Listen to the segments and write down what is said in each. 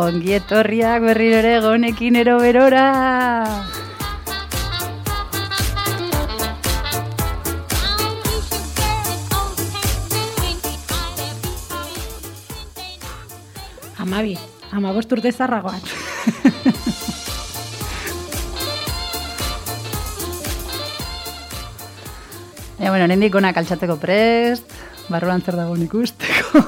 Ongi etorriak berriro ere Gonekin ero berora. Amabost urte zarragoan. Bueno, nendik onak altxatzeko prest, barruan zer dagoen ikusteko.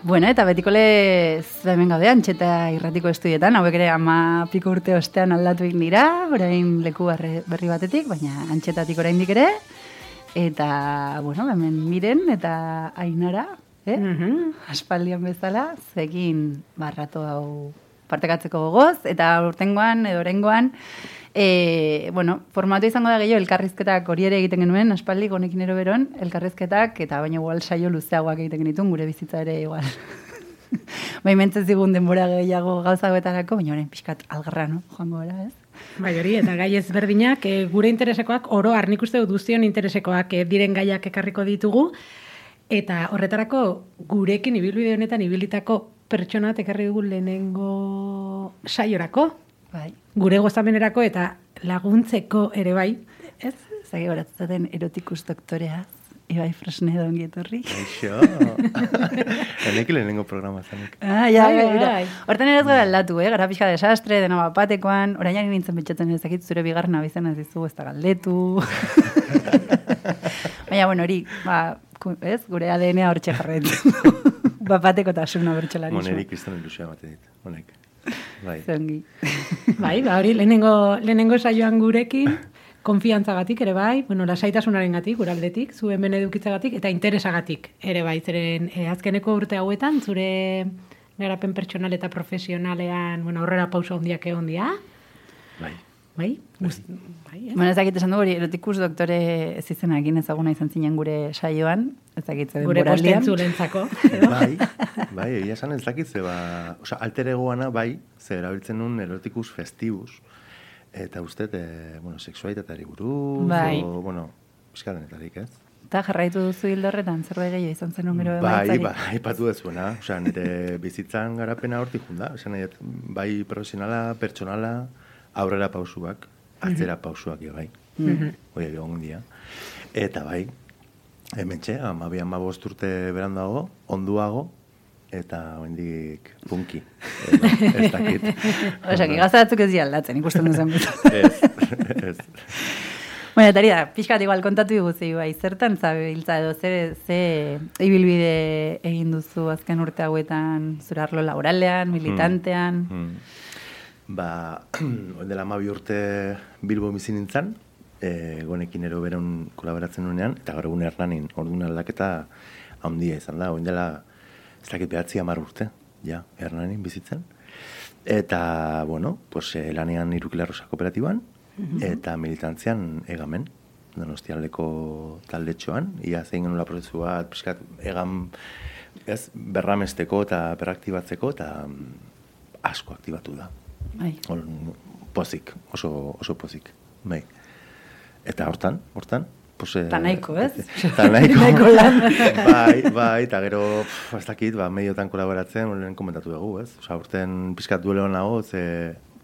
Bueno, eta betiko lez hemen gaude Antxeta irratiko estudietan, hauek ere 10 urte ostean aldatu egin dira, orain leku berri batetik, baina Antxetatik oraindik ere. Eta, bueno, hemen Miren eta Ainara, aspaldian bezala, zekin barrato hau partekatzeko gogoz, eta urtengoan edo orengoan, bueno, formatu izango da gehiago elkarrizketak hori ere egiten genuen, aspaldi Gonekin ero beron, elkarrizketak, eta baina igual saio luzeagoak egiten genituen, gure bizitza ere igual. Bai, mentzen zigun denbora gehiago gauzagoetarako, baina orain pixkat algarra, no? Joango gara, ez? Bai, hori, eta gai ezberdinak, gure interesekoak, oro nik uste duztion interesekoak diren gaiak ekarriko ditugu, eta horretarako gurekin ibilbide honetan ibilitako pertsonat ekarri dugu lehenengo saiorako, bai. Gure gozamenerako eta laguntzeko ere bai. Ez? Zagi horatzaten erotikus doktorea, Ibai Fresnedo ongi etorri. Eixo, eneki lehenengo programa zanik. Ja, horten ere ez gara aldatu, gara pixka desastre, dena bapatekoan, orain jari nintzen betxatzen ezakit zure bigarren abizen ez dizu, ez da galdetu. Baina, bueno, hori, ez, gure ADN-a hortxe jarretzen. Bapateko tasuna bertxolari. Moneri kriston ilusia bate dit, honek. Bai. Zongi. Bai, hori, lehenengo saioan gurekin, konfiantzagatik ere bai, bueno, lasaitasunaren gatik, guraldetik, zuen benedukitzagatik, eta interesagatik ere bai, zeren azkeneko urte hauetan, zure garapen pertsonal eta profesionalean, bueno, aurrera pauso handiak egon dia. Bai. Bai? Bueno, ezakit esan dugu, erotikus doktore ez izenakin ezaguna izan zinen gure saioan, ezakit zeben gure boraldian. posten zulentzako. Bai, egia esan ez dakit ze, oza, alter egoana, bai, ze erabiltzen nun erotikus festibus, eta uste, bueno, seksualitateari buruz, bai. Bueno, piskadenetarik, ez? Eta jarraitu duzu hildo horretan, zerbait gehiago izan zen gero emaitzari. Bai, ipatu dezuena, oza, nire bizitzan garapena hortik junda, esan nahi, bai profesionala, pertsonala, aurrera pausuak, atzera pausuak bai. Hoi egon dia. Eta bai, hementxe, 12 urte berandago, onduago, eta hendik punki. Ez dakit. Osak, gaztatzuk ez aldatzen, ikusten duzen betu. Ez. Bueno, eta da, pixkat igual kontatu iguzi, bai, zertan zabiltza edo, ze ibilbide egin duzu azken urte hauetan, zure arlo laboralean, militantean. Dela 12 urte Bilbo bizi nintzen, Gonekin ero beron kolaboratzen nunean, eta gaur egun Hernanin, orduan aldaketa handia izan da, oin dela, ez dakit 9-10 urte, ja, Hernanin bizitzen. Eta, bueno, pues, lanean Irukilarrosa kooperatiban, eta militantzian egamen, Donostialdeko taldetxoan, ia zein genula prozesu bat, piskat, egan, ez, berramesteko eta beraktibatzeko, eta asko aktibatu da. Bai. Pozik, oso pozik. Bai. Eta hortan, Ta nahiko, ez? Ta nahiko. Nahiko lan. Bai, eta gero, ez dakit, mediotan kolaboratzen, lehen komentatu dugu, ez? Osa, urten pizkat duele honago,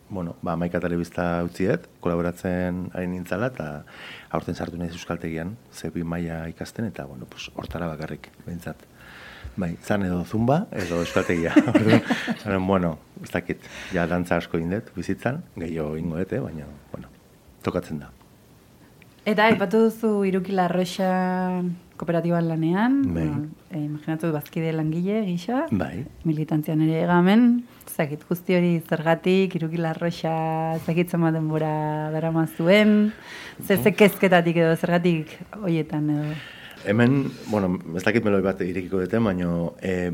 bueno, Maika Telebista utziet, kolaboratzen ari nintzala, eta aurten sartu nahiz Euskaltegian, zebi maila ikasten, eta, bueno, hortara bakarrik, behintzat. Bai, zan edo zumba, edo Euskaltegia. Zaren, bueno, ez dakit, ja dantza asko indet, bizitzan, gehiago ingo dute, baina, bueno, tokatzen da. Eta, ipatu duzu Irukilarrosa kooperatiban lanean, Bai. Imaginatu bazkide langile gisa, Bai. militantzian ere egamen, zakit guzti hori zergatik, Irukilarrosa zakit zama denbora darama zuen, kezketatik edo zergatik hoietan edo. Hemen, bueno, ez dakit meloi bat irekiko duten, baina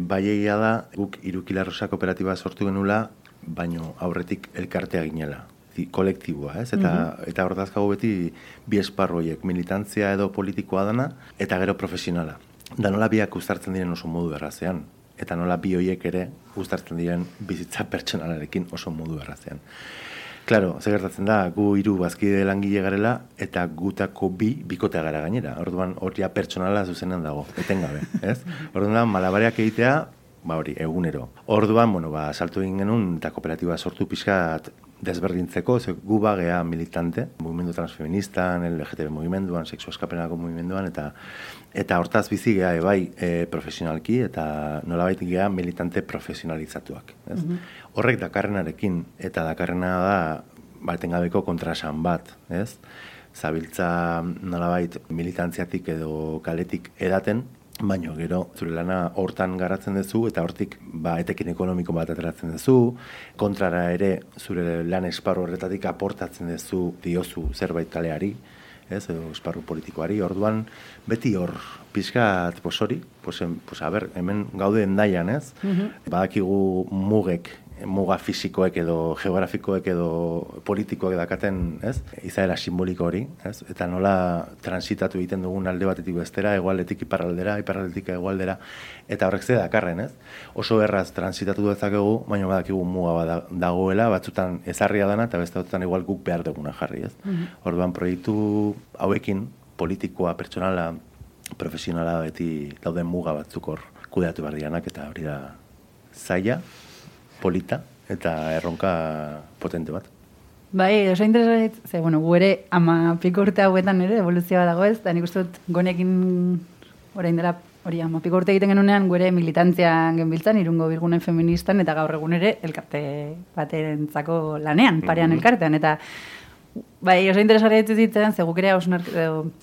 bai egia da, guk Irukilarrosa kooperatiba sortu genula, baina aurretik elkartea ginela, kolektiboa, ez? Eta hortazkago beti bi esparroiek, militantzia edo politikoa dana, eta gero profesionala. Da nola biak uztartzen diren oso modu errazean, eta nola bi hoiek ere uztartzen diren bizitza pertsonalarekin oso modu errazean. Claro, ze gertatzen da, gu 3 bazkide langile garela, eta gutako 2 bikotea gara gainera. Orduan, hori pertsonala zuzenen dago, etengabe, ez? Orduan, malabareak egitea, hori, egunero. Orduan, salto egin genuen, eta kooperatiba sortu pixkat desberdintzeko, ze gu bagea militante, mugimendu transfeministan, LGTB mugimenduan, sexu askapenako mugimenduan, eta hortaz bizi gea, profesionalki, eta nolabait gea militante profesionalizatuak. Ez? Horrek dakarrenarekin, eta dakarrena da, etengabeko kontrasan bat, ez? Zabiltza nolabait militantziatik edo kaletik edaten, baina gero zure lana hortan garatzen duzu eta hortik etekin ekonomiko bat ateratzen duzu, kontrara ere zure lan esparru horretatik aportatzen duzu diozu zerbait kaleari, ez, edo esparru politikoari, orduan beti hor pixkat, hori, hemen gaude endaian, ez, badakigu muga fisikoek edo geografikoek edo politikoek dakaten, ez? Izaera simboliko hori, ez? Eta nola transitatu egiten dugun alde batetik bestera, hegoaldetik iparraldera, iparraldetik hegoaldera, eta horrek ze dakarren, ez? Oso erraz transitatu dezakegu, baina badakigu muga dagoela, batzutan ezarria dana eta beste batzutan igual guk behar duguna jarri, ez? Orduan proiektu hauekin politikoa, pertsonala, profesionala beti dauden muga batzuk hor kudeatu behar dianak, eta hori da zaila, polita eta erronka potente bat. Bai, oso interesatzen, ze, gu ere 10 urte hauetan ere evoluzioa dago ez, eta nik uste dut gonekin orain dela, 10 urte egiten genunean, gu ere militantzian genbiltzan, Irungo Bilgune Feministan, eta gaur egun ere elkarte baterentzako lanean, parean elkartean, eta bai, oso interesatzen zitzen, ze guk ere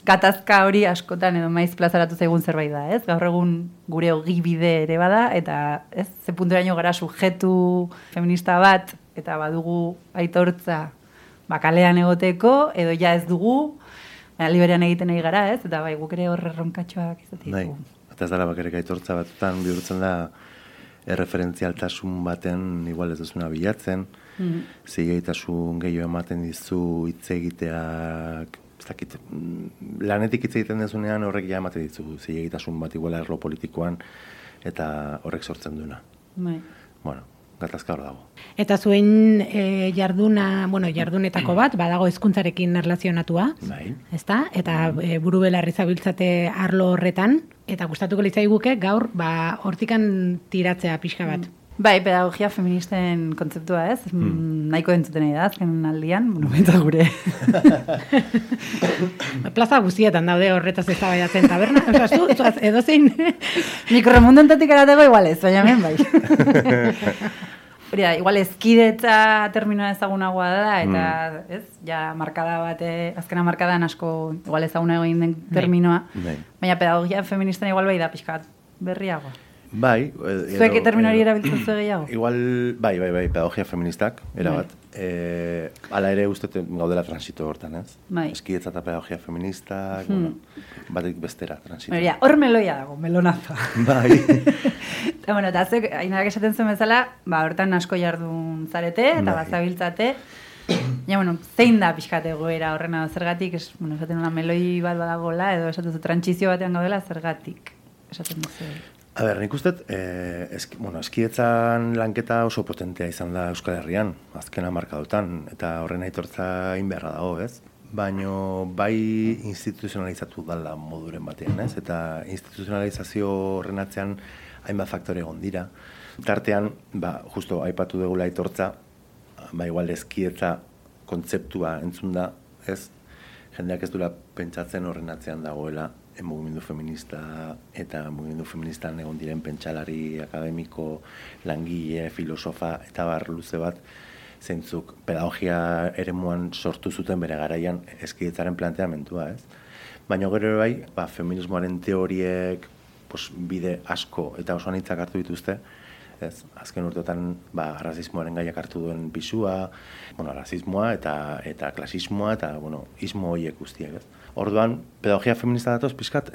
gatazka hori askotan edo maiz plazaratu zaigun zerbait da, ez? Gaur egun gure ogibide ere bada, eta ez, ze punturaino gara sujetu feminista bat, eta badugu aitortza kalean egoteko, edo ja ez dugu, liberean egiten nahi gara, ez? Eta bai, guk ere horre ronkatxoak izatik. Bai, eta ez dara bakarrik aitortza batzutan bihurtzen da erreferentzialtasun baten igual ez duzuna bilatzen, zileitasun gehiago ematen dizu hitz egiteak, ez dakit, lanetik hitz egiten dezunean horrek ja ematen dizu zileitasun bat igual erlo politikoan, eta horrek sortzen duena. Bai. Gatazka hor dago. Eta zuen jardunetako bat, badago hezkuntzarekin erlazionatua, Bai. ezta? Eta buru belarri zabiltzate arlo horretan, eta gustatuko litzaiguke gaur, hortikan tiratzea pixka bat. Bai, pedagogia feministen kontzeptua, ez? Nahiko entzuten nahi da, azken aldian, eta gure. Plaza guztietan daude horretaz eztabaidatzen taberna, osea, edozein Mikromundo entatik erateko igual ez, baina hemen bai. Hori da, igual ezkidetza terminoa ezagunagoa da, eta ez, ja markada bate, azkena markadan asko igual ezaguna egin den terminoa, baina pedagogia feministen igual bai da pixka bat berriagoa. Bai. Zuek termino hori erabiltzen zu gehiago? Igual, bai, pedagogia feministak, erabat. Hala ere uste gaudela transito hortan, ez? Bai. Eskidetza eta pedagogia feministak, batetik bestera transito. Hor meloia dago, melonazo. Bai. Eta zuek, hainadak esaten zuen bezala, hortan asko jardun zarete, eta bazabiltzate, zein da pixkate goera horrena zergatik, esaten una meloi bat badagola, edo esaten zu trantsizio batean gaudela zergatik, esaten duzu. A ber, nik uste, eskidetzan lanketa oso potentea izan da Euskal Herrian, azken hamarkadotan, eta horren aitortza inbeharra dago, ez? Baina bai instituzionalizatu dala moduren batean, ez? Eta instituzionalizazio horren atzean hainbat faktore egon dira. Tartean, justo aipatu dugula aitortza, igual eskidetza kontzeptua entzun da, ez? Jendeak ez duela pentsatzen horren atzean dagoela, mugimendu feminista eta mugimendu feministan egon diren pentsalari, akademiko, langile, filosofa eta bar luze bat zeintzuk pedagogia eremuan sortu zuten bere garaian eskidetzaren planteamentua, ez? Baina gero bai, feminismoaren teoriek bide asko eta oso anitzak hartu dituzte, ez? Azken urteotan rasismoaren gaiak hartu duen pisua, rasismoa eta klasismoa eta ismo horiek guztiak, ez? Orduan, pedagogia feminista datoz pixkat,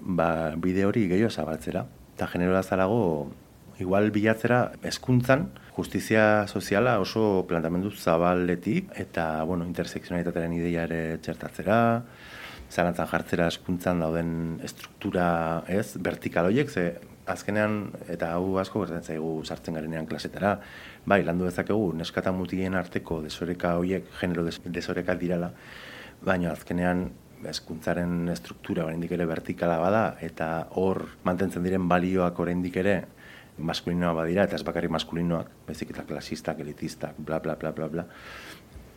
bide hori gehiago zabaltzera. Eta generoa zarago, igual bilatzera hezkuntzan justizia soziala oso plantamendu zabaletik, eta, intersekzionalitatearen ideia ere txertatzera, zalantzan jartzera hezkuntzan dauden estruktura, ez, vertikal horiek, ze azkenean, eta hau asko gertatzen zaigu sartzen garenean klasetara, bai, landu dezakegu neskata mutilen arteko desoreka horiek, genero desoreka dirala, baina azkenean hezkuntzaren estruktura oraindik ere vertikala bada, eta hor mantentzen diren balioak oraindik ere maskulinoa badira, eta ez bakarrik maskulinoak, baizik eta klasistak, elitistak, bla, bla, bla, bla, bla,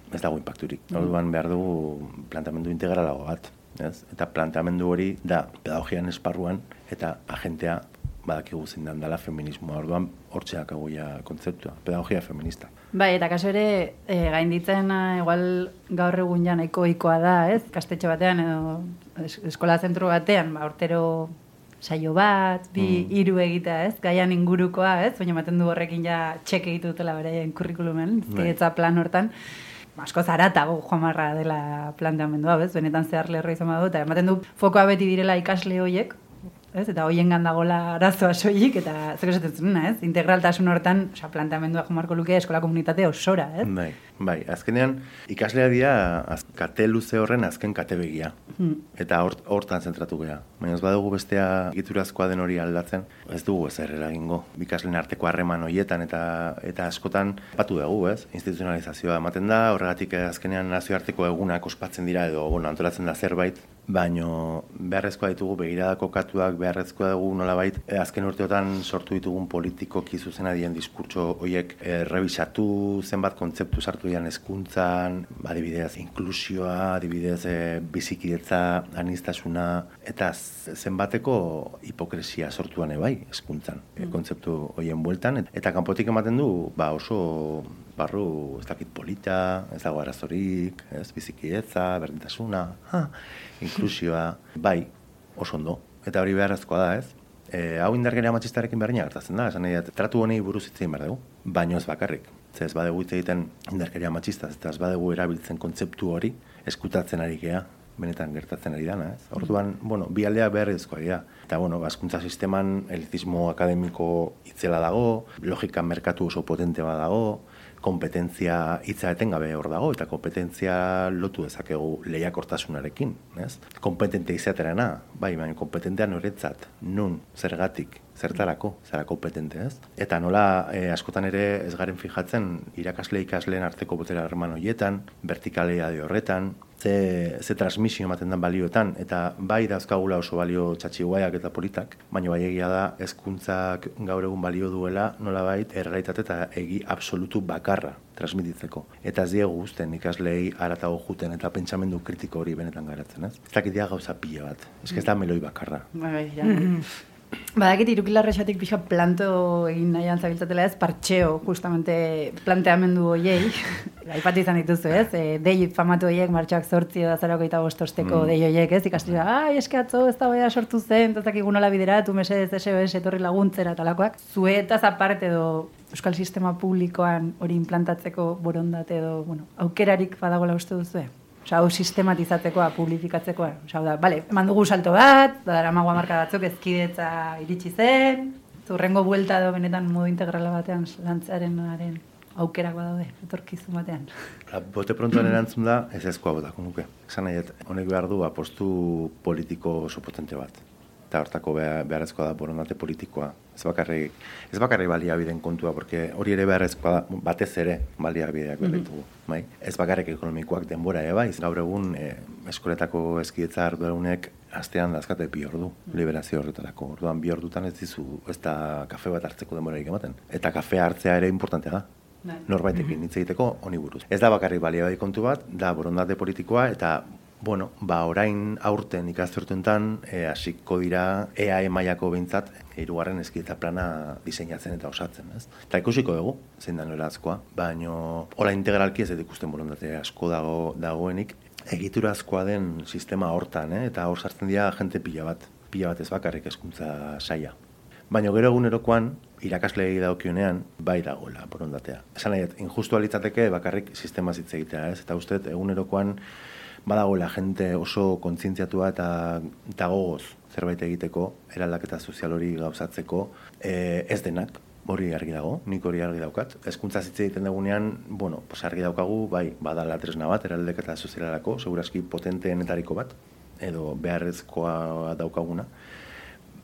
ez dago impacturik. Orduan behar dugu planteamendu integralago bat, ez? Eta planteamendu hori da pedagogian esparruan, eta agentea badakigu zindan dela feminismoa. Orduan hortxeak agoia kontzeptua, pedagogia feminista. Bai, eta kaso ere, gainditzen, igual gaur egun ja nahiko ohikoa da, ez? Kastetxe batean edo eskola zentro batean, urtero saio bat, hiru egitea, ez? Gaian ingurukoa, ez? Baina ematen du horrekin ja txek egitu dutela beraien kurrikulumen, ez plan hortan. Asko zaratago joamarra dela planteamendua, bez? Benetan zehar lerro izan badu, eta ematen du fokoa beti direla ikasle hoiek, ez? Eta hoien gandagola arazoa soilik, eta zeko esaten zuen, ez? Integraltasun hortan, planteamendua jomarko luke eskola komunitate osora, ez? Bai, azkenean ikaslea dira kate luze horren azken kate begia. Eta hortan zentratu gea. Baina ez badugu bestea egiturazkoa den hori aldatzen, ez dugu ezer eragingo. Ikasleen arteko harreman horietan eta askotan batu dugu, ez? Instituzionalizazioa ematen da, horregatik azkenean nazioarteko egunak ospatzen dira edo antolatzen da zerbait, baino beharrezkoa ditugu begirada kokatuak, beharrezkoa dugu nolabait azken urteotan sortu ditugun politikoki zuzena dien diskurtso horiek revisatu, zenbat kontzeptu sartu dian hezkuntzan, adibidez inklusioa, adibidez bizikidetza, aniztasuna, eta zenbateko hipokresia sortuan bai hezkuntzan, kontzeptu horien bueltan, eta kanpotik ematen du oso barru, ez dakit polita, ez dago arazorik, ez bizikidetza, berdintasuna, inklusioa, bai, oso ondo. Eta hori beharrezkoa da, ez? Hau indarkeria matxistarekin berdina gertatzen da, esan nahi, tratu honi buruz hitz egin behar dugu, baino ez bakarrik. Ez badegu hitz egiten indarkeria matxistaz, eta ez badegu erabiltzen kontzeptu hori, eskutatzen ari gea, benetan gertatzen ari dana, ez? Orduan, bi aldeak beharrezkoa dira. Eta, hezkuntza sisteman elitismo akademiko itzela dago, logika merkatu oso potente bat dago, kompetentzia hitza etengabe hor dago, eta kompetentzia lotu dezakegu lehiakortasunarekin, ez? Kompetente izaterana, baina kompetentean horretzat, nun, zergatik, zertarako, zara kompetente, ez? Eta nola, askotan ere ez garen fijatzen, irakasle ikasleen arteko botera harreman horietan, vertikalea de horretan, ze transmisio ematen den balioetan, eta bai dauzkagula oso balio txatxiguaiak eta politak, baina bai egia da hezkuntzak gaur egun balio duela nolabait errealitate eta egi absolutu bakarra transmititzeko. Eta ez diegu guzten ikasleei haratago juten eta pentsamendu kritiko hori benetan garatzen, ez? Ez dakit gauza pila bat, ez da meloi bakarra. Badakit irukilarrexatik pixa planto egin nahian zabiltzatela ez, partxeo, justamente planteamendu hoiei, aipatu izan dituzu ez, dei famatu hoiek martxoak 8 edo 25 dei hoiek ez, ikastea, eske atzo ez da bea sortu zen, entonces nola bideratu, mesedez SOS etorri laguntzera talakoak. Zuetaz aparte edo euskal sistema publikoan hori implantatzeko borondate edo, aukerarik badagoela uste duzue? Hau sistematizatzekoa, publifikatzekoa. Eman dugu salto bat, daramagoa marka batzuk ezkidetza iritsi zen, zurrengo buelta edo benetan modu integrala batean lantzaren aukerak badaude, etorkizun batean. Bote prontoan erantzun da, ez ezkoa botako nuke. Esan nahi, honek behar du apostu politiko oso potente bat. Eta hortako beharrezkoa da borondate politikoa. Ez bakarrik baliabideen kontua, porque hori ere beharrezkoa da, batez ere baliabideak behar ditugu. Ez bakarrik ekonomikoak denbora bai, gaur egun eskoletako ezkidetza arduradunek astean dazkate 2 ordu liberazio horretarako. Orduan 2 ordutan ez dizu, ez da kafe bat hartzeko denborarik ematen. Eta kafea hartzea ere importantea da. Norbaitekin hitz egiteko honi buruz. Ez da bakarrik baliabide kontu bat, da borondate politikoa eta orain aurten ikasturteetan hasiko dira EAE mailako behintzat 3. hezkidetza plana diseinatzen eta osatzen, ez? Eta ikusiko dugu, zein da norazkoa, baina hola integralki ez ikusten borondate asko dagoenik egiturazkoa den sistema hortan, eta hor sartzen dira jente pila bat ez bakarrik hezkuntza saila. Baina gero egunerokoan, irakasleei dagokionean, bai dagoela borondatea. Esan nahi, injustua litzateke bakarrik sistema hitz egitea, ez? Eta uste egunerokoan badagoela jente oso kontzientziatua eta gogoz zerbait egiteko, eraldaketa sozial hori gauzatzeko, ez denak, hori argi dago, nik hori argi daukat. Hezkuntza hitz egiten dugunean, argi daukagu, bai, badala tresna bat, eraldaketa sozialerako, segurazki potenteenetariko bat, edo beharrezkoa daukaguna,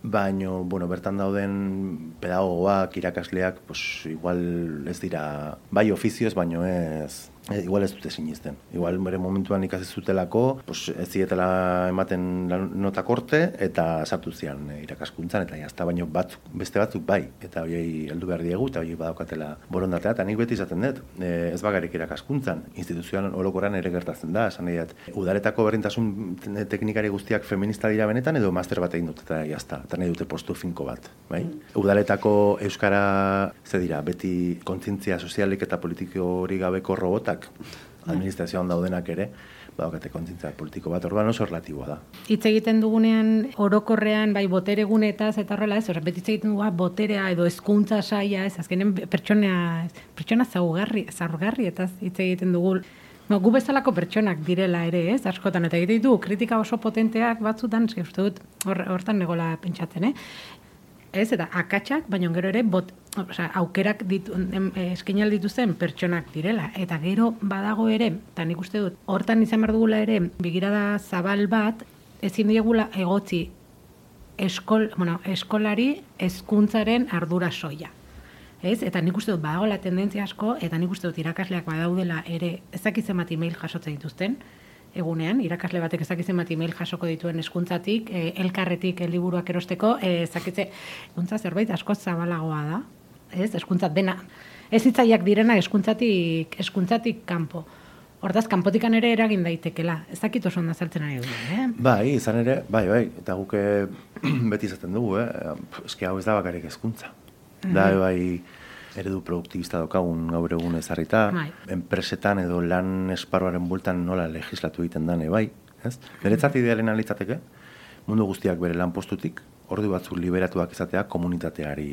baino, bueno, bertan dauden pedagogoak, irakasleak, pues, igual ez dira, bai ofizioz, baino ez, igual ez dute sinisten. Igual bere momentuan ikasi zutelako, pues, ez zietela ematen nota korte, eta sartu zian irakaskuntzan, eta jazta, baino beste batzuk bai, eta horiei heldu behar diegu, eta horiei badaukatela borondatea, eta nik beti izaten dut, ez bakarrik irakaskuntzan, instituzioan orokorran ere gertatzen da, esan nahi dut, udaletako berdintasun teknikari guztiak feminista dira benetan, edo master bat egin dut, eta jazta, eta nahi dute postu finko bat, bai? Udaletako euskara, ze dira, beti kontzientzia sozialik eta politiko hori gabeko robotak, administrazioan daudenak ere, badaukate kontzientzia politiko bat, orduan oso relatiboa da. Hitz egiten dugunean orokorrean bai botere gunetaz eta horrela ez, beti hitz egiten dugu boterea edo hezkuntza saia, ez azkenen pertsona zaurgarri eta hitz egiten dugu. No, gu bezalako pertsonak direla ere, ez, askotan, eta egiten ditu kritika oso potenteak batzutan, uste dut hortan negola pentsatzen, ez, eta akatsak, baina gero ere aukerak eskenal dituzten pertsonak direla. Eta gero badago ere, eta nik uste dut, hortan izan behar dugula ere, begirada zabal bat, ezin diegula egotzi eskolari hezkuntzaren ardura soia. Ez? Eta nik uste dut badagoela tendentzia asko, eta nik uste dut irakasleak badaudela ere ezakitzen bat email jasotzen dituzten, egunean, irakasle batek ezakitzen bat email jasoko dituen hezkuntzatik, elkarretik liburuak erosteko, ezakitze, hezkuntza zerbait asko zabalagoa da, ez? Hezkuntza dena, ez hitzaiak direna hezkuntzatik kanpo. Hortaz, kanpotikan ere eragin daitekela. Ez dakit oso ondo azaltzen ari duen, Bai, izan ere, bai, eta guk beti izaten dugu, eske hau ez da bakarrik hezkuntza. Da, bai, eredu produktibista daukagun gaur egun ezarrita, enpresetan edo lan esparruaren bultan nola legislatu egiten dane, bai, ez? Beretzat idealen alitzateke, mundu guztiak bere lan postutik, ordu batzuk liberatuak izatea komunitateari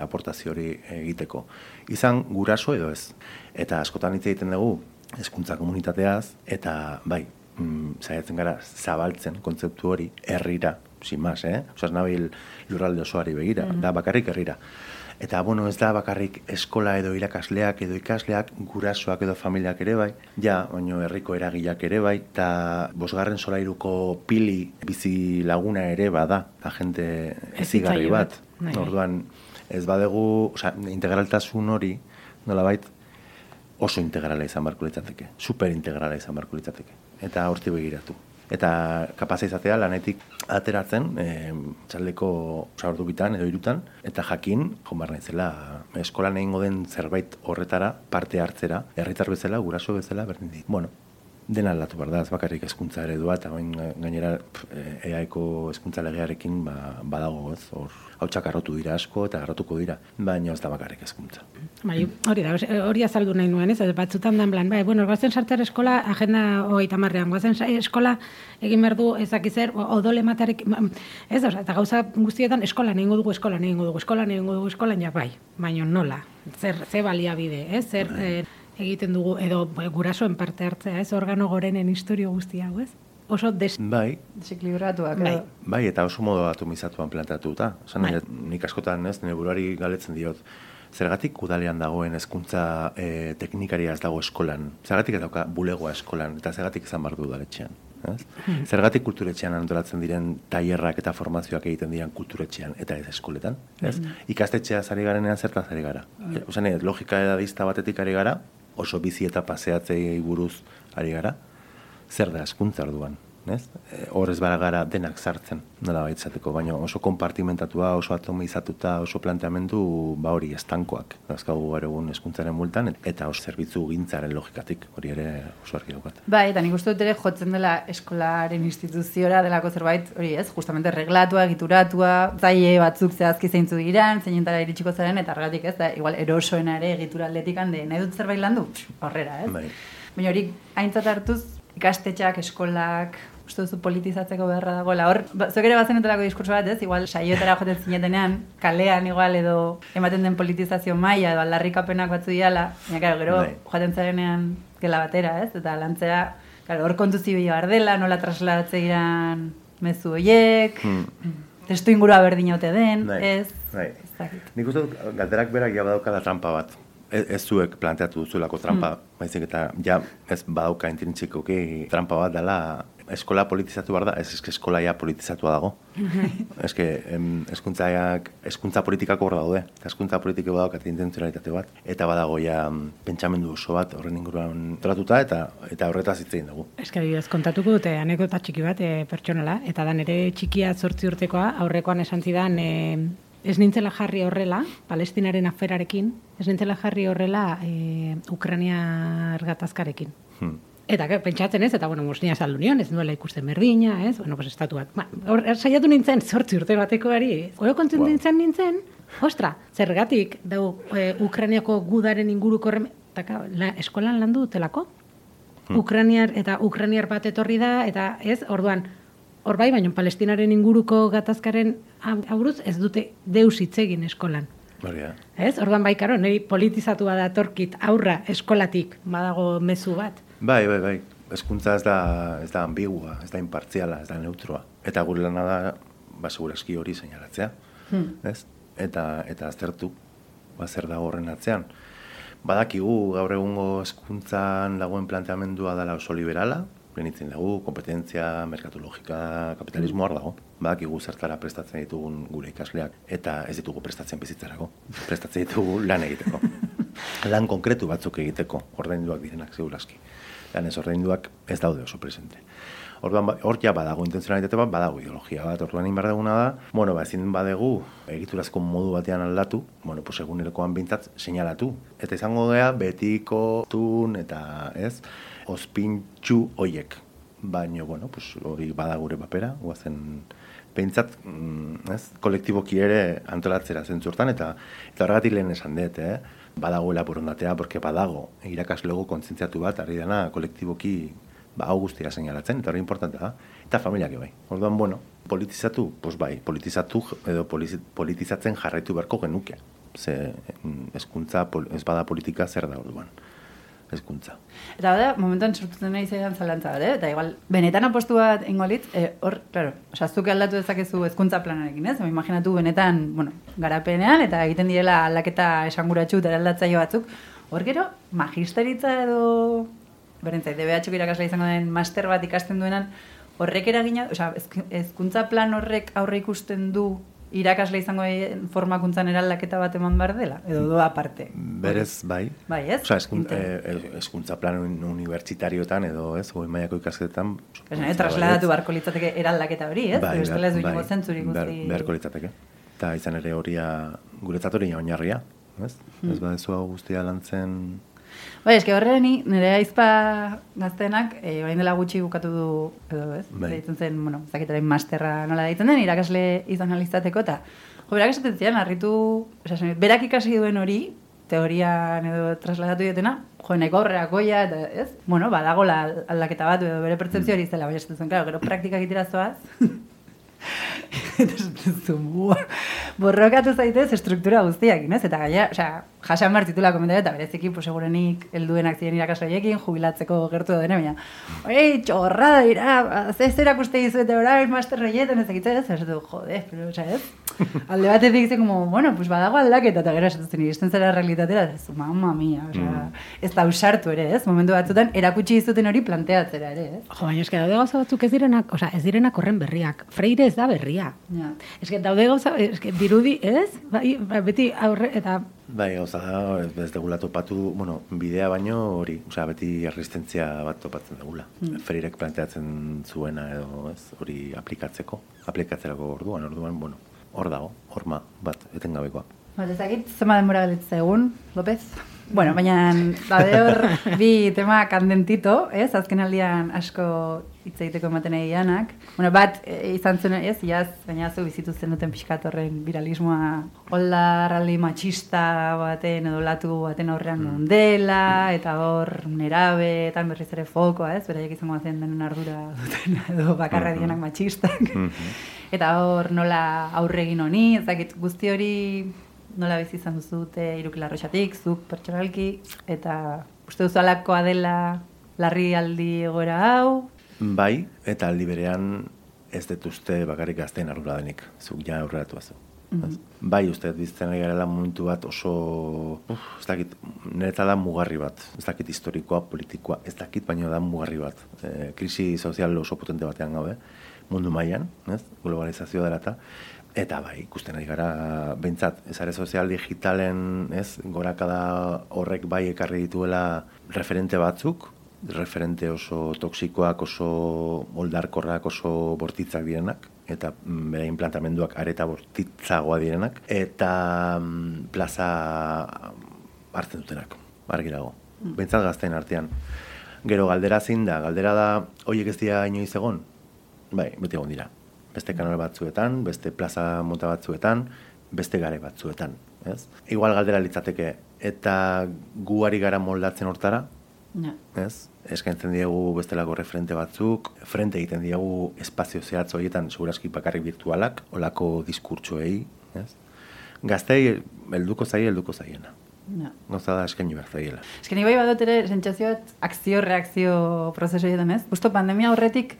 aportazio hori egiteko. Izan guraso edo ez. Eta askotan hitz egiten dugu, hezkuntza komunitateaz, eta bai, saiatzen gara zabaltzen kontzeptu hori herrira, sin más, Osaz, nabil lurralde osoari begira, da bakarrik herrira. Eta, bueno, ez da bakarrik eskola edo irakasleak edo ikasleak, gurasoak edo familiak ere bai, baino herriko eragileak ere bai, eta 5. solairuko pili bizi laguna ere bada, agente ezigarri bat. Orduan, ez badegu, integraltasun hori, nolabait, oso integrala izan barko litzateke, superintegrala izan barko litzateke, eta horti begiratu. Eta kapaza izatea lanetik ateratzen, txaldeko ordu bitan edo 3, eta jakin, joan naizela, eskolan egingo den zerbait horretara, parte hartzera, herritar bezala, guraso bezala, berdin dit. Bueno, dena aldatu behar da, ez bakarrik hezkuntza eredua, eta gainera EAeko hezkuntza legearekin badago, ez, hautsak arrotu dira asko eta arrotuko dira, baina ez da bakarrik hezkuntza. Bai, hori azaldu nahi nuen, ez, batzutan dan plan, goazen sartzera eskola, agenda 30ean, goazen eskola egin behar du ezakizer, odole matarek, ez da, eta gauza guztietan eskolan egingo dugu, ja, bai, baina nola, ze baliabide, ez, zer egiten dugu, edo gurasoen parte hartzea, ez, organo gorenen historio guztia, ez? Oso deseklibratuak. Bai, eta oso modo atomizatuan plantatuta. Nik askotan, ez, nire buruari galetzen diot, zergatik udalean dagoen hezkuntza teknikaria ez dago eskolan, zergatik ez dauka bulegoa eskolan, eta zergatik izan behar du udaletxean. Zergatik kulturetxean antolatzen diren tailerrak eta formazioak egiten diren kulturetxean, eta ez eskoletan. Ikastetxea ari garenean zertaz ari gara. Logika edadista batetik ari gara, oso bizi eta paseatzei buruz ari gara, zer da hezkuntza orduan, ez? Horrez bara gara denak sartzen, nola baitzateko, baina oso konpartimentatua, oso atomizatuta, oso planteamendu hori estankoak. Dazkagu gara egun hezkuntzaren multan, eta oso zerbitzu gintzaren logikatik, hori ere oso argi daukat. Bai, eta nik uste dut ere jotzen dela eskolaren instituziora delako zerbait, hori ez, justamente reglatua, egituratua, zaile batzuk zehazki zeintzu diran, zeinentara iritsiko zaren, eta argatik ez, da, igual erosoena ere egitura atletik hande, nahi dut zerbait landu, horrera, ez? Bai. Baina hori aintzat hartuz, ikastetxak, eskolak, uste duzu politizatzeko beharra dagoela. Hor, zuek ere bazenetelako diskurso bat, ez? Igual saioetara joten zinetenean, kalean igual edo ematen den politizazio maila edo aldarrikapenak batzu diala, baina gero joaten zarenean gela batera, ez? Eta lantzea, hor kontu zibila behar dela, nola trasladatze iran mezu horiek, testu ingurua berdin ote den, ez? Nik uste dut, galderak berak ja badaukala trampa bat. Ez zuek planteatu duzulako trampa, baizik eta ja ez badauka intrintxikoki trampa bat dela eskola politizatu behar da, ez eskola ja politizatua dago. Hezkuntza politikako hor daude, eta hezkuntza politikako daukat intentzionalitate bat, eta badago ja pentsamendu oso bat horren inguruan tratuta, eta horretaz hitz egin dugu. Adibidez, kontatuko dute anekdota txiki bat pertsonala, eta da nere txikia 8 urtekoa, aurrekoan esan zidan, ez nintzela jarri horrela, Palestinaren aferarekin, ez nintzela jarri horrela Ukrainiar gatazkarekin. Eta pentsatzen ez, eta Bosnia saldu nion, ez nuela ikusten berdina, ez, estatu bat. Saiatu nintzen, 8 urte batekoari, gero kontzen nintzen, ostra, zergatik dau Ukrainiako gudaren inguruko eskolan landu dutelako? Ukrainiar bat etorri da, eta ez, orduan, hor bai, baina Palestinaren inguruko gatazkaren aburuz ez dute deus hitz egin eskolan. Ez, orduan bai, karo, niri politizatua da torkit aurra eskolatik badago mezu bat. Bai. Hezkuntza ez da ambigua, ez da impartziala, ez da neutroa. Eta gure lana da, segurazki hori seinalatzea, ez? Eta aztertu, zer dago horren atzean. Badakigu gaur egungo hezkuntzan dagoen planteamendua dela oso liberala, genitzen dugu, kompetentzia, merkatologika, kapitalismo hor dago. Badakigu zertara prestatzen ditugun gure ikasleak, eta ez ditugu prestatzen bizitzarako. Prestatzen ditugu lan egiteko. Lan konkretu batzuk egiteko, ordainduak direnak segurazki. Lan ez ordainduak ez daude oso presente. Orduan, hor ja badago intentzionalitate bat, badago ideologia bat, orduan inbar duguna da, ezin badegu egiturazko modu batean aldatu, egunerokoan bintzat seinalatu. Eta izango gea betiko tun eta ez, ospintxu hoiek. Baina, hori bada gure papera, guazen behintzat, kolektiboki ere antolatzera zentzurtan, eta horregatik lehen esan dut, badagoela borondatea, porque badago irakaslego kontzientziatu bat, ari dena kolektiboki hau guztia seinalatzen, eta hori importantea da, eta familiak bai. Orduan, politizatu, bai, politizatu edo politizatzen jarraitu beharko genuke. Ze hezkuntza ez bada politika zer da orduan. Hezkuntza. Eta bada, momentuan sortutzen nahi zaidan zalantza bat, eta igual, benetan apostu bat ingolitz, hor, claro, zuke aldatu dezakezu hezkuntza planarekin, ez? Imaginatu benetan, garapenean, eta egiten direla aldaketa esanguratsu eta eraldatzaile batzuk, hor gero, magisteritza edo, berentzai, DBH-ko irakasle izango den master bat ikasten duenan, horrek eragina, hezkuntza plan horrek aurre ikusten du irakasle izango formakuntzan eraldaketa bat eman behar dela? Edo doa aparte? Berez, bai. Bai, ez? Hezkuntza plan unibertsitarioetan edo, ez, goi mailako ikasketetan. Trasladatu beharko litzateke eraldaketa hori, ez? Bai, bestela ez du ingo zentzuri guzti. Beharko litzateke. Eta izan ere guretzat hori oinarria, ez? Ez badezu hau guztia lantzen. Bai, eske horrean nire aizpa gaztenak, orain dela gutxi bukatu du, edo ez? Deitzen zen, zaketaren masterra nola deitzen den, irakasle izan alizateko, eta berak esaten zian, harritu, berak ikasi duen hori, teorian edo trasladatu dietena, nahiko aurrerakoia, eta ez? Badago aldaketa bat, edo bere pertzepzio hori zela, baina esaten zuen, gero praktikak itirazoaz, eta borrokatu zaitez estruktura guztiak, ez? Eta gaia, jasan behar titula komentari, eta bereziki, segurenik helduenak ziren irakasleekin, jubilatzeko gertu da dena, baina, txorrada dira, ez erakuste dizuete orain, master reietan, ez egitzen, ez du, jode, pero, ez? Alde batetik zen, badago aldaketa, eta gero esatzen iristen zera realitatera, ez, mamma mia, ez da usartu ere, ez? Momentu batzutan, erakutsi dizuten hori planteatzera ere, ez? Baina, eske daude gauza batzuk ez direnak horren berriak. Freire ez da berria. Eske daude gauza, dirudi, ez? Beti aurre, eta... Bai, gauza da, ez degula topatu, bidea baino hori, beti erresistentzia bat topatzen degula. Freirek planteatzen zuena edo, ez, hori aplikatzerako orduan, hor dago, horma bat, etengabekoa. Ezagit, zema denbora galitzea egun, López? Baina, hor bi tema kandentito, ez? Azken aldian asko hitz egiteko ematen egianak. Bat, izan zuen, ez? Iaz, baina zu bizitu zen duten pixkat horren viralismoa oldarraldi matxista baten edo latu baten aurrean dela, eta hor nerabeetan berriz ere fokoa, ez? Beraiek izango zen denen ardura duten edo bakarra dienak matxistak. Eta hor nola aurre egin honi, ezakit guzti hori nola bizi izan duzute Irukilarroxatik, zuk pertsonalki, eta uste duzu alakoa dela larri aldi egoera hau? Bai, eta aldi berean ez dut uste bakarrik gazteen ardura denik, zuk ja aurreratu bazu. Bai, uste, bizten ari garela momentu bat oso, ez dakit, niretzat da mugarri bat. Ez dakit historikoa, politikoa, ez dakit, baina da mugarri bat. Krisi sozial oso potente batean gaude, mundu mailan, ez? Globalizazio dela eta bai, ikusten ari gara, behintzat, sare sozial digitalen, ez? Gorakada horrek bai ekarri dituela referente batzuk, referente oso toksikoak, oso oldarkorrak, oso bortitzak direnak, eta bere implantamenduak areta bortitzagoa direnak, eta plaza hartzen dutenak, argi dago. Behintzat gazteen artean. Gero galdera zein da, galdera da, hoiek ez dira inoiz egon? Bai, beti egon dira. Beste kanal batzuetan, beste plaza mota batzuetan, beste gare batzuetan, ez? Igual galdera litzateke, eta gu ari gara moldatzen hortara, ez? Eskaintzen diegu bestelako referente batzuk, frente egiten diegu espazio zehatz horietan segurazki bakarrik virtualak, olako diskurtsoei, ez? Gaztei helduko zaiena. Gauza da eskaini behar zaiela. Eskaini bai badot ere sentsazioa akzio-reakzio prozesu egiten, ez? Justo pandemia horretik,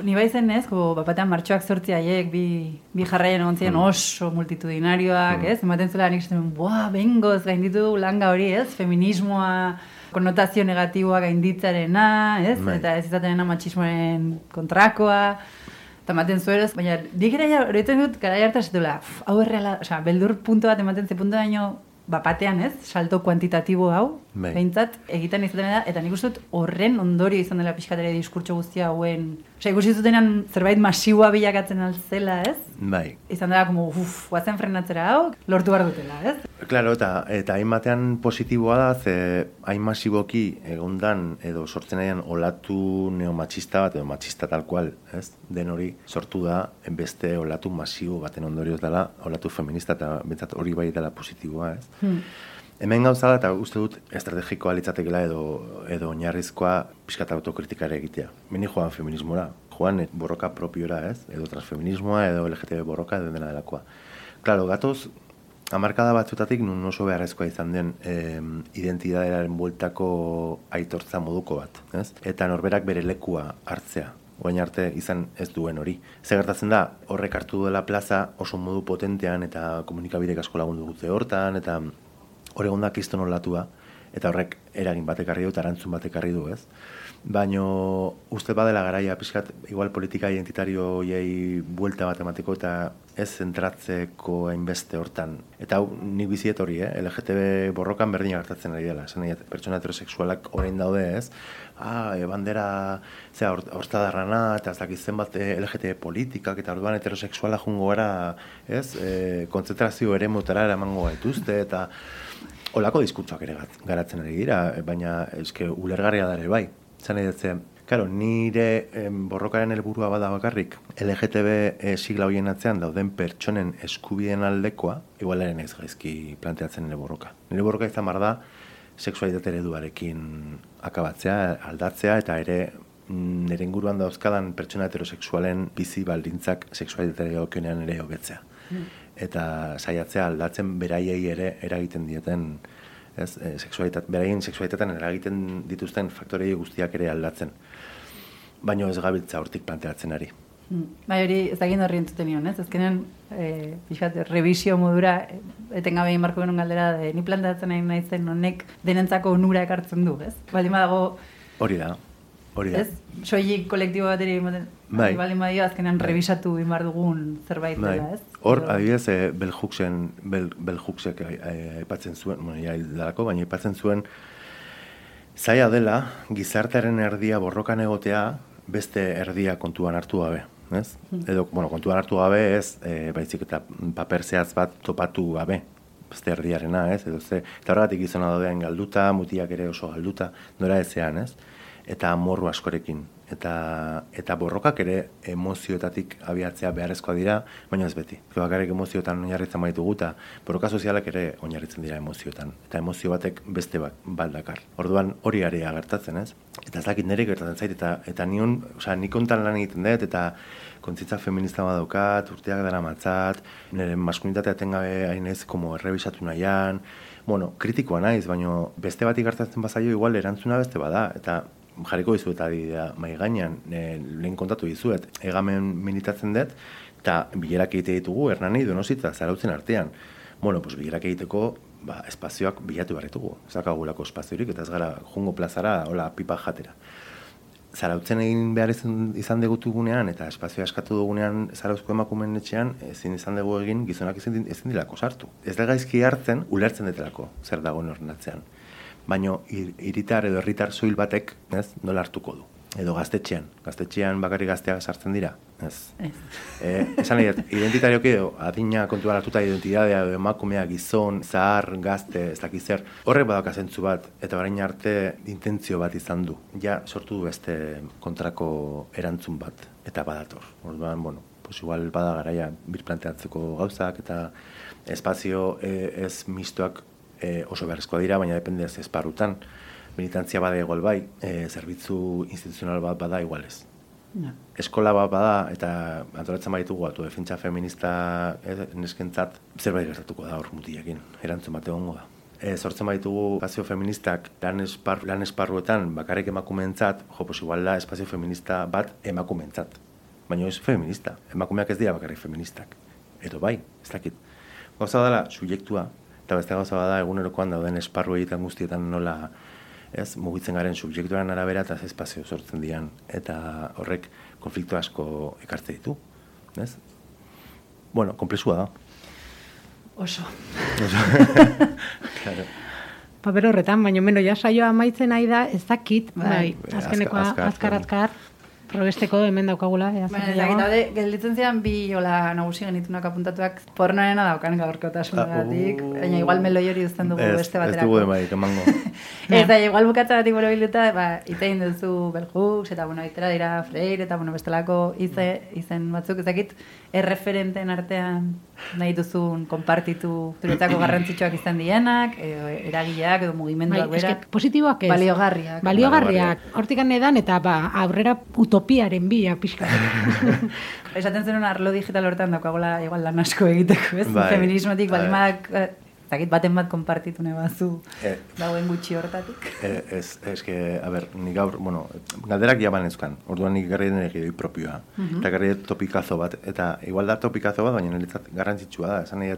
ni bai zen, ez? Bapatean martxoak sortzi haiek, bi jarraien egon ziren oso multitudinarioak, ez? Ematen zuela nik zen, bengoz gainditu langa hori, ez? Feminismoa, konotazio negatiboa gainditzarena, ez? Eta ez izatenena matxismoaren kontrakoa, eta ematen zueraz, baina dik ere horretzen dut, gara jarta zetula, hau erreala, beldur punto bat ematen ze punto daño, bapatean, ez? Salto kuantitatibo hau, behintzat, egiten izaten da, eta nik uste dut horren ondorio izan dela pixkatere diskurtso guztia hauen. Ikusi zutenean zerbait masiboa bilakatzen altzela, ez? Bai. Izan dela, guazen frenatzera hau, lortu behar dutela, ez? Claro, eta hainbatean positiboa da, ze hain masiboki egondan edo sortzen nahian olatu neomatxista bat, edo matxista tal cual, ez? Den hori sortu da, beste olatu masibo baten ondorioz dela, olatu feminista, eta bentsat hori bai dela positiboa, ez? Hemen gauza da, eta uste dut estrategikoa litzatekela edo oinarrizkoa pixkat autokritikare egitea. Meni joan feminismora, joan borroka propiora, ez? Edo transfeminismoa, edo LGTB borroka, edo dena delakoa. Claro, gatoz, hamarkada batzutatik nun oso beharrezkoa izan den identitatearen bueltako aitortza moduko bat, ez? Eta norberak bere lekua hartzea, orain arte izan ez duen hori. Zer gertatzen da, horrek hartu duela plaza oso modu potentean eta komunikabidek asko lagundu dute hortan, eta hori da kriston olatua, eta horrek eragin batek ekarri du, eta erantzun batek ekarri du, ez? Baina uste badela garaia pixkat, igual politika identitarioiei buelta bat emateko eta ez zentratzeko hainbeste hortan. Eta hau nik biziet hori, LGTB borrokan berdina gertatzen ari dela. Esan nahi, pertsona heterosexualak orain daude, ez? Bandera, hortadarrana, eta ez dakiz zenbat LGTB politikak, eta orduan heterosexuala jungo gara, ez? Kontzentrazio ere motara eramango gaituzte, eta holako diskurtsoak ere garatzen ari dira, baina eske ulergarria da ere bai. Zan edatzen, claro, nire borrokaren helburua bada bakarrik, LGTB sigla horien atzean dauden pertsonen eskubideen aldekoa, igual ere naiz gaizki planteatzen nire borroka. Nire borroka izan bar da, sexualitate ereduarekin akabatzea, aldatzea, eta ere nire inguruan dauzkadan pertsona heterosexualen bizi baldintzak sexualitatea dagokionean ere hobetzea. Eta saiatzea aldatzen beraiei ere eragiten dieten, ez, beraien sexualitatean eragiten dituzten faktorei guztiak ere aldatzen. Baina ez gabiltza hortik planteatzen ari. Bai, hori ez dagin horri entzuten nion, ez? Azkenen, revisio modura etengabe inbarko genuen galdera, ni planteatzen nahi naizen honek denentzako onura ekartzen du, ez? Baldin badago... Hori da. Ez? Soilik kolektibo bateri baldin badio azkenean revisatu inbar dugun zerbait dela, ez? Hor, adibidez, Belhuxek aipatzen zuen, baina aipatzen zuen, zaila dela, gizartearen erdia borrokan egotea, beste erdia kontuan hartu gabe, ez? Edo, kontuan hartu gabe ez, baizik eta paper zehatz bat topatu gabe, beste erdiarena, ez? Eta horregatik gizona daudean galduta, mutiak ere oso galduta, nora ezean, ez? Eta morru askorekin. Eta borrokak ere emozioetatik abiatzea beharrezkoa dira, baina ez beti. Bakarrik emozioetan oinarritzen baitugu, eta borroka sozialak ere oinarritzen dira emozioetan. Eta emozio batek beste bat dakar. Orduan hori area gertatzen, ez? Eta ez dakit nire gertatzen zait, eta nik ontan lan egiten dut, eta kontzitza feminista badaukat, urteak dara matzat, nire maskulinitatea tengabe hainez errebisatu nahian, kritikoa naiz, baina beste bati gertatzen bazaio igual erantzuna beste bada, eta jarriko dizuet adidea mai gainean, lehen kontatu dizuet, egamen militatzen dut, Eta bilerak egite ditugu Hernani, Donosti eta Zarautzen artean. Bueno, pues bilerak egiteko espazioak bilatu behar ditugu. Ez dakagulako espaziorik eta ez gara jungo plazara, hola, pipa jatera. Zarautzen egin behar izan degutugunean eta espazioa eskatu dugunean Zarauzko emakumeen etxean ezin izan dugu egin gizonak ezin dilako sartu. Ez da gaizki hartzen, ulertzen detelako zer dagoen horren atzean. Baina hiritar edo herritar soil batek nola hartuko du. Edo gaztetxean bakarrik gazteak sartzen dira. Ez. Esan nahi, identitarioki edo adina kontuan hartuta identitatea edo emakumea, gizon, zahar, gazte, ez dakiz zer. Horrek badaka zentzu bat, eta orain arte intentzio bat izan du. Ja sortu du beste kontrako erantzun bat, eta badator. Orduan, bueno, pues igual bada garaia birplanteatzeko gauzak, eta espazio ez mistoak oso beharrezkoa dira, baina depende ez esparrutan. Militantzia bada igual bai, zerbitzu instituzional bat bada igualez. No. Eskola bat bada, eta antolatzen baditugu autodefentsa feminista neskentzat, zerbait gertatuko da hor mutilekin, erantzun bat egongo da. Sortzen baditugu espazio feministak lan esparruetan bakarrik emakumeentzat, pues igual da espazio feminista bat emakumeentzat. Baina ez feminista, emakumeak ez dira bakarrik feministak. Edo bai, ez dakit. Gauza dela subjektua, eta beste gauza bada egunerokoan dauden esparru egiten guztietan nola mugitzen garen subjektuaren arabera eta espazio sortzen dian, eta horrek konflikto asko ekartze ditu. Ez? Bueno, komplexua da. Oso. Claro. Paper horretan, baina meno ja saioa amaitzen nahi da, ez dakit, bai, azkenekoa, azkar, probesteko hemen daukagula. Gelditzen zidan bi nagusi genitunak apuntatuak pornoena daukan gaurkotasunagatik, baina igual meloi hori uzten dugu beste baterako. Ez dugu emaik, emango. Eta igual bukatzagatik borobilduta, itein duzu Belhux, eta itera dira Freire, eta bestelako izen batzuk, ezakit, erreferenten artean nahi duzun konpartitu zuretzako garrantzitsuak izan dienak, eragileak edo mugimenduak berak. Positiboak ez. Baliogarriak. Hortikan edan eta aurrera utopiaren bila pixka. Esaten zenun arlo digital horretan daukagola igual lan asko egiteko, ez? Feminismotik balimak baten bat konpartitu nebazu dauen gutxi horretatik. A ber, nik gaur, galderak jaban ezkan, orduan nik garri den egidoi propioa, eta garri topikazo bat, eta igual da topikazo bat, baina niretzat garrantzitsua da, esan nahi,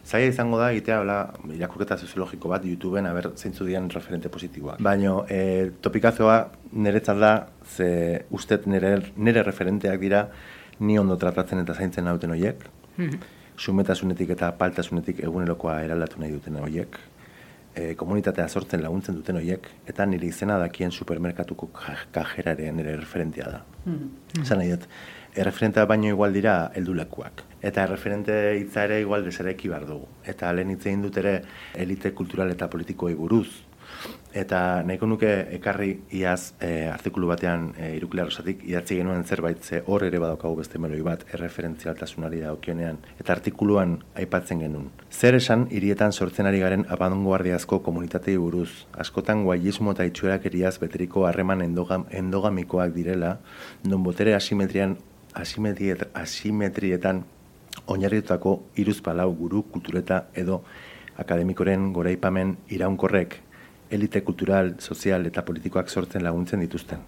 zaila izango da egitea irakurketa soziologiko bat YouTubeen, a ber, zeintzu dian referente positiboak. Baina topikazoa niretzat da, ze ustez nire referenteak dira, ni ondo tratatzen eta zaintzen nauten horiek, xumetasunetik eta paltasunetik egunerokoa eraldatu nahi duten horiek, komunitatea sortzen laguntzen duten horiek, eta nire izena dakien supermerkatuko kajeraren ere referentea da. Esan nahi dut, erreferentea baino igual dira heldulekuak. Eta erreferente hitza ere igual desereki behar dugu. Eta lehen hitz egin dut ere elite kultural eta politikoei buruz. Eta nahiko nuke ekarri iaz artikulu batean Irukle Arrosatik idatzi genuen zerbait ze hor ere badaukagu beste meloi bat erreferentzialtasunari dagokionean eta artikuluan aipatzen genuen. Zer esan hirietan sortzen ari garen abangoardiazko komunitatei buruz, askotan guaiismo eta itxuerakeriaz beteriko harreman endogamikoak direla, non botere asimetrietan oinarritutako hiruzpalau guru, kultureta edo akademikoren goraipamen iraunkorrek elite kultural, sozial eta politikoak sortzen laguntzen dituzten.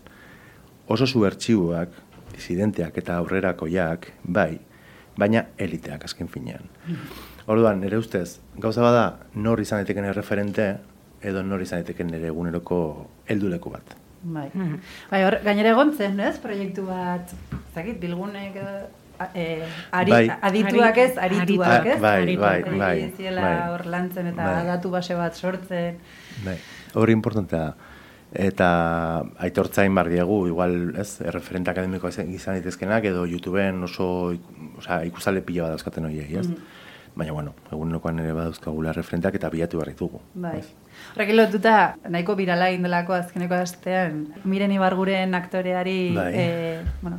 Oso subertsiboak, disidenteak eta aurrerakoiak, bai, baina eliteak azken finean. Orduan, nire ustez, gauza bada, nor izan daiteken referente, edo nor izan daiteken nire eguneroko helduleku bat. Bai, hor, gainera egontzen, ez? Proiektu bat, zakit, bilgunek adituak ez, arituak ez? Bai. Ziela hor lantzen eta datu base bat sortzen. Bai, hori importantea da. Eta aitortzain bar diegu, igual, ez, referente akademiko izan ditezkenak, edo YouTubeen oso ikusale pila bat dauzkaten horiek, ez? Baina, bueno, egunerokoan ere badauzkagula referenteak eta bilatu behar ditugu. Bai. Horrek lotuta, nahiko birala indelako azkeneko astean, Miren Ibarguren aktoreari,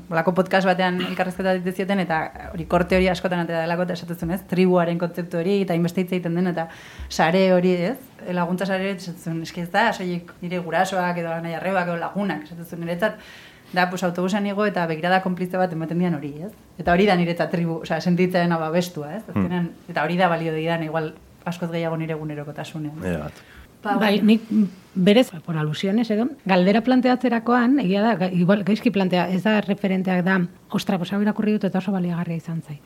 bolako podcast batean elkarrezketa dituzioten, eta hori korte hori askotan atera delako, eta esatzen ez, tribuaren kontzeptu hori, eta inbesteitza egiten den, eta sare hori, ez? Laguntza sare hori, esatzen eskiz da, soilik nire gurasoak, edo nahi arrebak, edo lagunak, esatzen niretzat, da, autobusan igo eta begirada konplize bat ematen dian hori, ez? Eta hori da niretzat tribu, sentitzen ababestua, ez? Eta hori da balio didan, igual askoz gehiago nire egunerokotasunean. Bai, nik berez, por alusiones edo, galdera planteatzerakoan, egia da, igual, gaizki plantea, ez da referenteak da, ostra, hau irakurri dut eta oso baliagarria izan zait.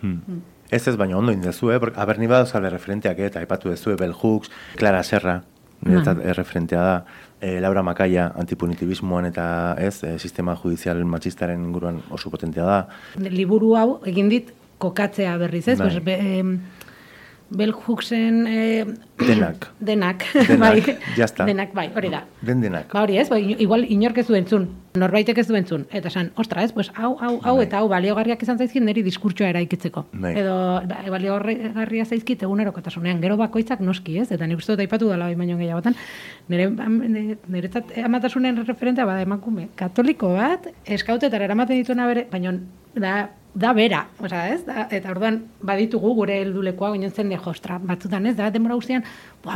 Ez, baina ondo indezue, aber ni badauzale referenteak eta aipatu dezue Bell Hooks, Clara Serra, niretzat referentea da, Laura Macaya, antipunitibismoan eta sistema judizial matxistaren inguruan oso potentea da. Liburu hau egin dit kokatzea berriz, ez? Pues, Bell Hooksen... Denak, bai. Jazta. Denak, bai, hori da. Denak. Ba, hori ez, bai, igual inork ez du entzun, norbaitek ez du entzun. Eta esan, ostra ez, pues, hau eta hau baliogarriak izan zaizkit niri diskurtsoa eraikitzeko. Edo, baliogarria zaizkit egunerokotasunean, gero bakoitzak noski ez, eta nik uste dut aipatu dela baino gehiagotan, niretzat amatasunen referentea bada emakume katoliko bat, eskautetara eramaten dituena bere, baino da bera, osea, ez? Eta orduan baditugu gure heldulekoa oinen zen ostra, batzutan ez, da denbora guztian,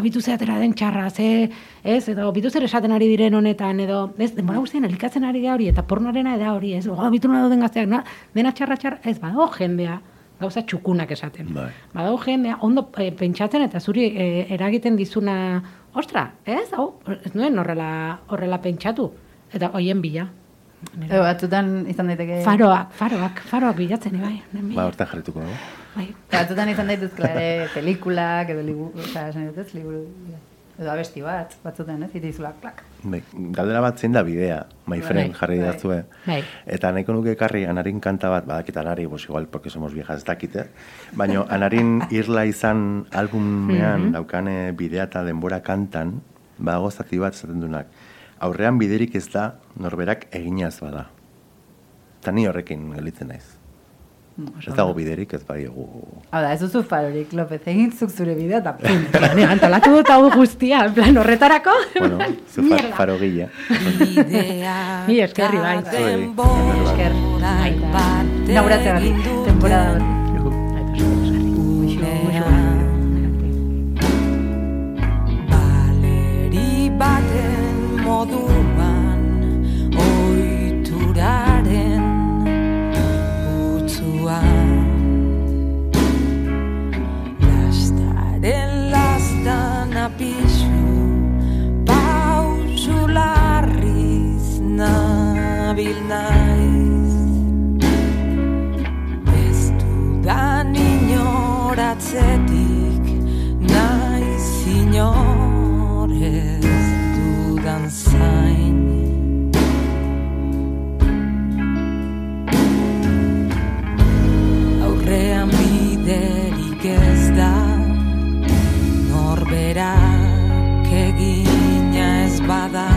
bitu zeatera den txarra, edo bitu zer esaten ari diren honetan, edo, ez, denbora guztian elikatzen ari da hori, eta pornorena da hori, ez, bitu nola dauden gazteak, dena txarra, ez, badago jendea, gauza txukunak esaten. Badago jendea, ondo pentsatzen eta zuri eragiten dizuna, ostra, ez, ez nuen horrela pentsatu, eta hoien bila. Batzutan izan daiteke... Faroak bilatzen, bai. Hortan jarrituko, no? Bai. Batzutan izan daitezke pelikulak, edo liburu, edo abesti bat, batzutan, ez? Itizulak, plak. Galdera bat zein da bidea, my friend, jarri dazue. Eta nahiko nuke ekarri Anarin kanta bat, badakit Anari, igual, porque somos viejas, ez dakite. Baina Anarin irla izan albumean, daukane bidea eta denbora kantan, badago zati bat zaten dunak. Aurrean biderik ez da, norberak eginaz bada. Eta ni horrekin gelitzen naiz. Ez dago biderik ez badiegu. Hau da, ez duzu farorik, López, egin zuk zure bidea eta pin. Antolatu dut hau guztia, en plan horretarako. Bueno, zu farogilla. Mi eskerri bai. Esker. Inauguratzea gali, temporada bat. Moduan oituraren utzuan lastan apisu pausu larriz nabil naiz ez dudan inoratzetik naiz inorez dan zain aurrean biderik ez da norberak egina ez bada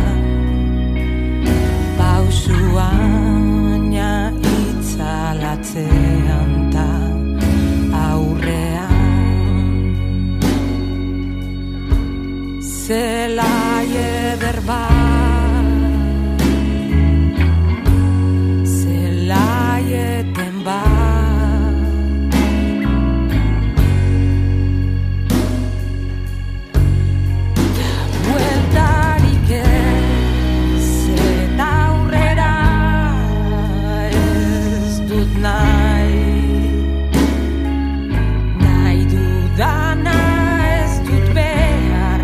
pausuaina itzalatzean ta aurrean zelai eder bat zelaieten bat bueltarik ez eta aurrera ez dut nahi dudana ez dut behar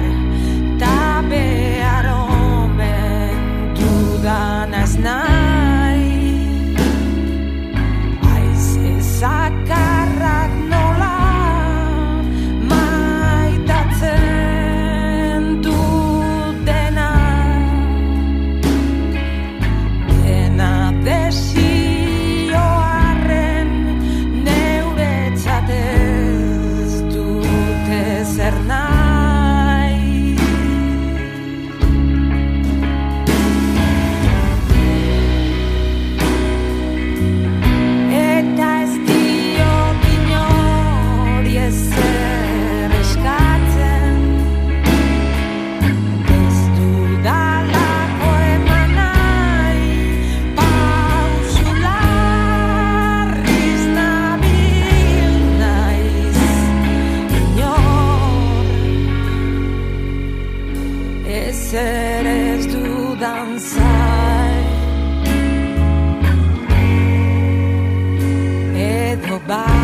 ta behar omen dudana ez nahi aize zakarrak nola maitatzen dut dena desioarren neuretzat ez dute zer nahi eta ez diot inori ezer eskatzen ez dudalako eman nahi pausu larriz nabil naiz inor ezer ez dudan zai edo bai